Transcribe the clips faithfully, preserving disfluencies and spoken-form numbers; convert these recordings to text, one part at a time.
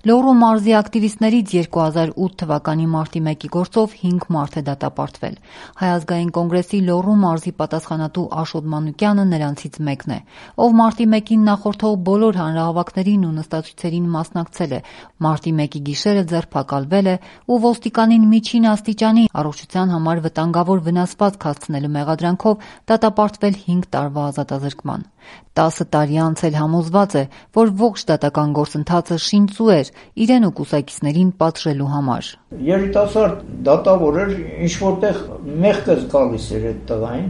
Լոռու մարզի ակտիվիստներից երկու հազար ութ թվականի մարտի մեկի գործով հինգ մարդ է դատապարտվել։ Հայ ազգային կոնգրեսի Լոռու մարզի պատասխանատու Աշոտ Մանուկյանը նրանցից մեկն է, ով մարտի մեկին նախորդող բոլոր հանրահավաքներին ու նստացույցերին մասնակցել է, մարտի մեկի գիշերը ձերբակալվել է ու ոստիկանին միջին աստիճանի առողջության համար վտանգավոր վնասվածք հասցնելու մեղադրանքով դատապարտվել հինգ տարվա ազատազրկման։ տասը տարի անց էլ համոզված է, որ ողջ դատական գործընթացը շինծու էր իրեն ու կուսակիցներին պատժելու համար։ Երիտասարդ դատավոր էր, ինչ-որտեղ մեղքս գալիս էր այդ տղային,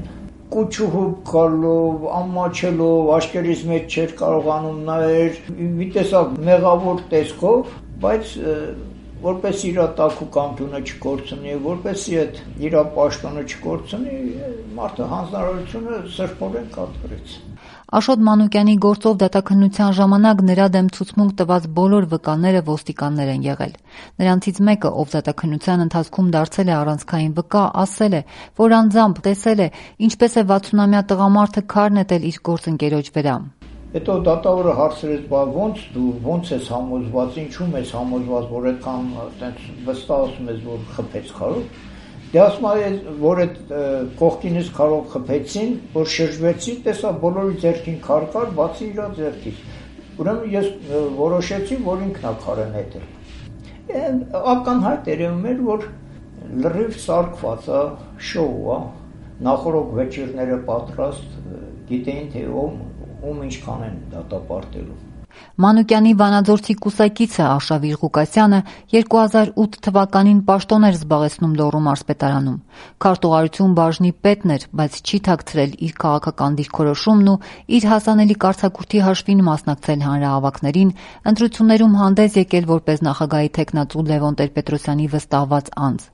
կուչուհուբ գալով, ամաչելով, աչքերից մեջ չէր կարողանում նայել, մի տեսակ մեղավոր տեսքով, բայց որպես իր տաքու կամտունը չկորցնի, որպեսի այդ իր պաշտոնը չկորցնի, մարդը հանձնարարությունը սրբորեն կատարեց։ Աշոտ Մանուկյանի գործով դատաքննության ժամանակ նրա դեմ ցուցմունք տված բոլոր վկաները ոստիկաններ են եղել։ Նրանցից մեկը, ով դատաքննության ընթացքում դարձել է առանցքային վկա, ասել է, որ անձամբ տեսել է, ինչպես է վաթսունամյա տղամարդը քար նետել իր գործընկերոջ վրա։ Հետո դատավորը հարցրեց, բա ո՞նց դու ո՞նց ես համոզված, ինչու՞մ ես համոզված, որ այդքան այդպես վստահ ասում ես, որ խփեց քարով։ Դե ասում է, որ այդ կողքինից քարով խփեցին, որ շրջվեցի, տեսա բոլորի ձեռքին քար կար, բացի իր ձեռքից։ Ուրեմն ես որոշեցի, որ ինքն է քարը նետել։ Ակնհայտ երևում էր, որ լրիվ սարկված է, շոու է, նախորդ վեճիրները պատրաստ, գիտեին, թե ում ինչքան են դատապարտելու։ Մանուկյանի վանաձորցի կուսակիցը Արշավիր Ղուկասյանը երկու հազար ութ թվականին պաշտոն էր զբաղեցնում Լոռու մարզպետարանում։ Քարտուղարություն բաժնի պետն էր, բայց չի թաքցրել իր քաղաքական դիրքորոշումն ու իր հասանելի կարգախոսի հաշվին մասնակցել հանրահավաքներին, ընտրություններում հանդես եկել որպես նախագահի թեկնածու Լևոն Տեր-Պետրոսյանի վստահված անձ։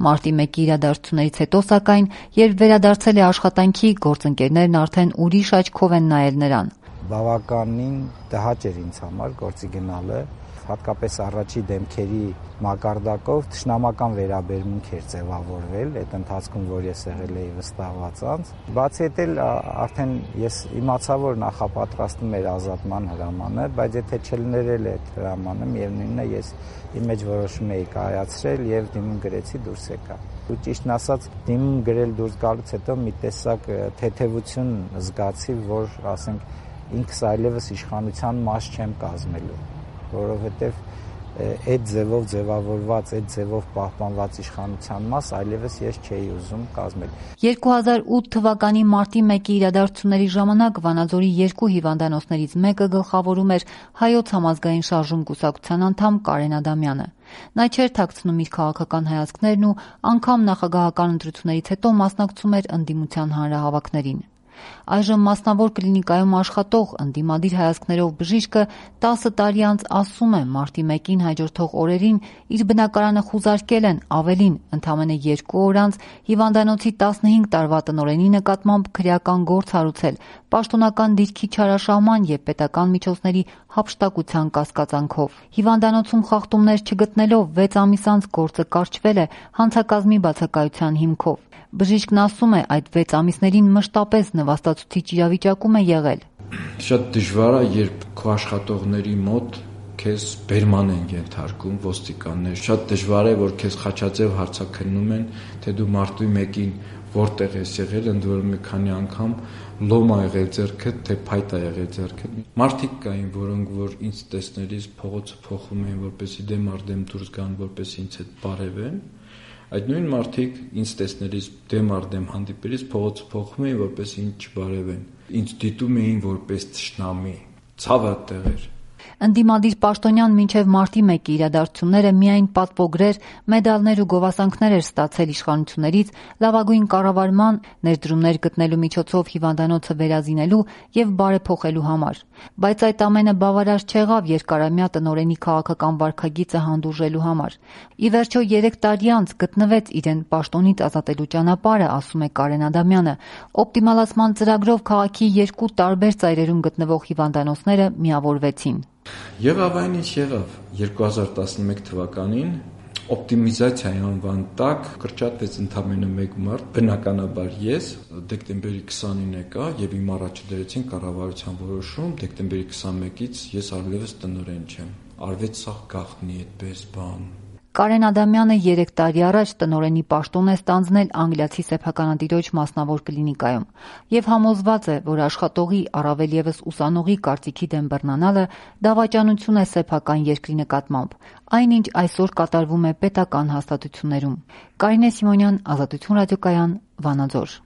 Մարտի մեկի իրադարձություններից հետո, սակայն, երբ վերադարձել է աշխատանքի, գործընկերներն արդեն ուրիշ աչքով են նայել նրան։ Բավականին տհաճ էր ինձ համար գործի գնալը, հատկապես առաջի դեմքերի մակարդակով թշնամական վերաբերմունք էր ձևավորվել այդ ընթացքում, որ ես եղել էի վստահված անձ։ Բացի այդ էլ արդեն ես իմացա, որ նախապատրաստում էր ազատման հրամանը, բայց եթե չլիներ այդ հրամանը, միևնույնն է ես իմ մեջ որոշում էի կայացրել եւ դիմում գրեցի դուրս եկա։ Ու ճիշտն ասած, դիմում գրել դուրս գալուց հետո մի տեսակ թեթևություն զգացի, որ ասենք ինքս այլևս իշխանության մաս չեմ կազմելու, որովհետև այդ ձևով ձևավորված, այդ ձևով պահպանված իշխանության մաս այլևս ես չէի ուզում կազմել։ երկու հազար ութ թվականի մարտի մեկի իրադարձությունների ժամանակ Վանաձորի երկու հիվանդանոցներից մեկը գլխավորում էր Հայոց համազգային շարժում կուսակցության անդամ Կարեն Ադամյանը։ Նա չէր թաքցնում իր քաղաքական հայացքներն ու անգամ նախագահական ընտրություններից հետո մասնակցում էր ընդդիմության հանրահավաքներին։ Այժմ մասնավոր կլինիկայում աշխատող ընդդիմադիր հայացքներով բժիշկը տասը տարի անց ասում է, մարտի մեկին հաջորդող օրերին իր բնակարանը խուզարկել են, ավելին, ընդամենը երկու օր անց հիվանդանոցի տասնհինգ տարվա տնօրենի նկատմամբ քրեական գործ հարուցել, պաշտոնական դիրքի չարաշահման և պետական միջոցների հափշտակության կասկածանքով։ Հիվանդանոցում խախտումներ չգտնելով վեց ամիս անց գործը կարճվել է հանցակազմի բացակայության հիմքով։ Բժիշկն ասում է, այդ վեց ամիսներին մշտապես նվաստացուցիչ իրավիճակում է եղել։ Շատ դժվար է, երբ քո աշխատողների մոտ քեզ բերման են ենթարկում ոստիկաններ։ Շատ դժվար է, որ քեզ խաչաձև հարցաքննում են, թե դու մարտի մեկին որտեղ ես եղել, ընդ որում մի քանի անգամ լոմ ա եղել ձեռքդ, թե փայտ ա եղել ձեռքդ։ Մարդիկ կային, որոնք որ ինձ տեսնելիս փողոցը փոխում էին, որպեսզի դեմ առ դեմ դուրս գան, որպեսզի ինձ հետ բարևեն։ Այդ նույն մարդիկ ինձ տեսնելիս դեմ առ դեմ հանդիպելիս փողոցը փոխում էին, որպես ինձ չբարևեն։ Ինձ դիտում էին որպես թշնամի։ Ցավը տեղ էր։ Ընդդիմադիր պաշտոնյան մինչև մարտի մեկի իրադարձությունները միայն պատվոգրեր, մեդալներ ու գովասանքներ էր ստացել իշխանություններից լավագույն կառավարման, ներդրումներ գտնելու միջոցով հիվանդանոցը վերազինելու և բարեփոխելու համար։ Բայց այդ ամենը բավարար չեղավ երկարամյա տնօրենի քաղաքական վարքագիծը հանդուրժելու համար։ Ի վերջո երեք տարի անց գտնվեց իրեն պաշտոնից ազատելու ճանապարհը, ասում է Կարեն Ադամյանը։ Օպտիմալացման ծրագրով քաղաքի երկու տարբեր ծայրերում գտնվող հիվանդանոցները միավորվեցին։ Եղավ այն ինչ եղավ երկու հազար տասնմեկ թվականին օպտիմիզացիայի անվան տակ կրճատվեց ընդամենը մեկ մարդ, բնականաբար ես դեկտեմբերի քսանինը եկա եւ իմ առաջ դրեցին կառավարության որոշում դեկտեմբերի քսանմեկից ես այլևս տնօրեն չեմ։ արվեց սա գաղտնի այդպես բան։ Կարեն Ադամյանը երեք տարի առաջ տնօրենի պաշտոն է ստանձնել անգլիացի սեփականատիրոջ մասնավոր կլինիկայում եւ համոզված է, որ աշխատողի, առավել եւս ուսանողի կարծիքի դեմ բռնանալը դավաճանություն է սեփական երկրի նկատմամբ, այնինչ այսօր կատարվում է պետական հաստատություններում։ Կարինե Սիմոնյան, Ազատություն ռադիոկայան, Վանաձոր։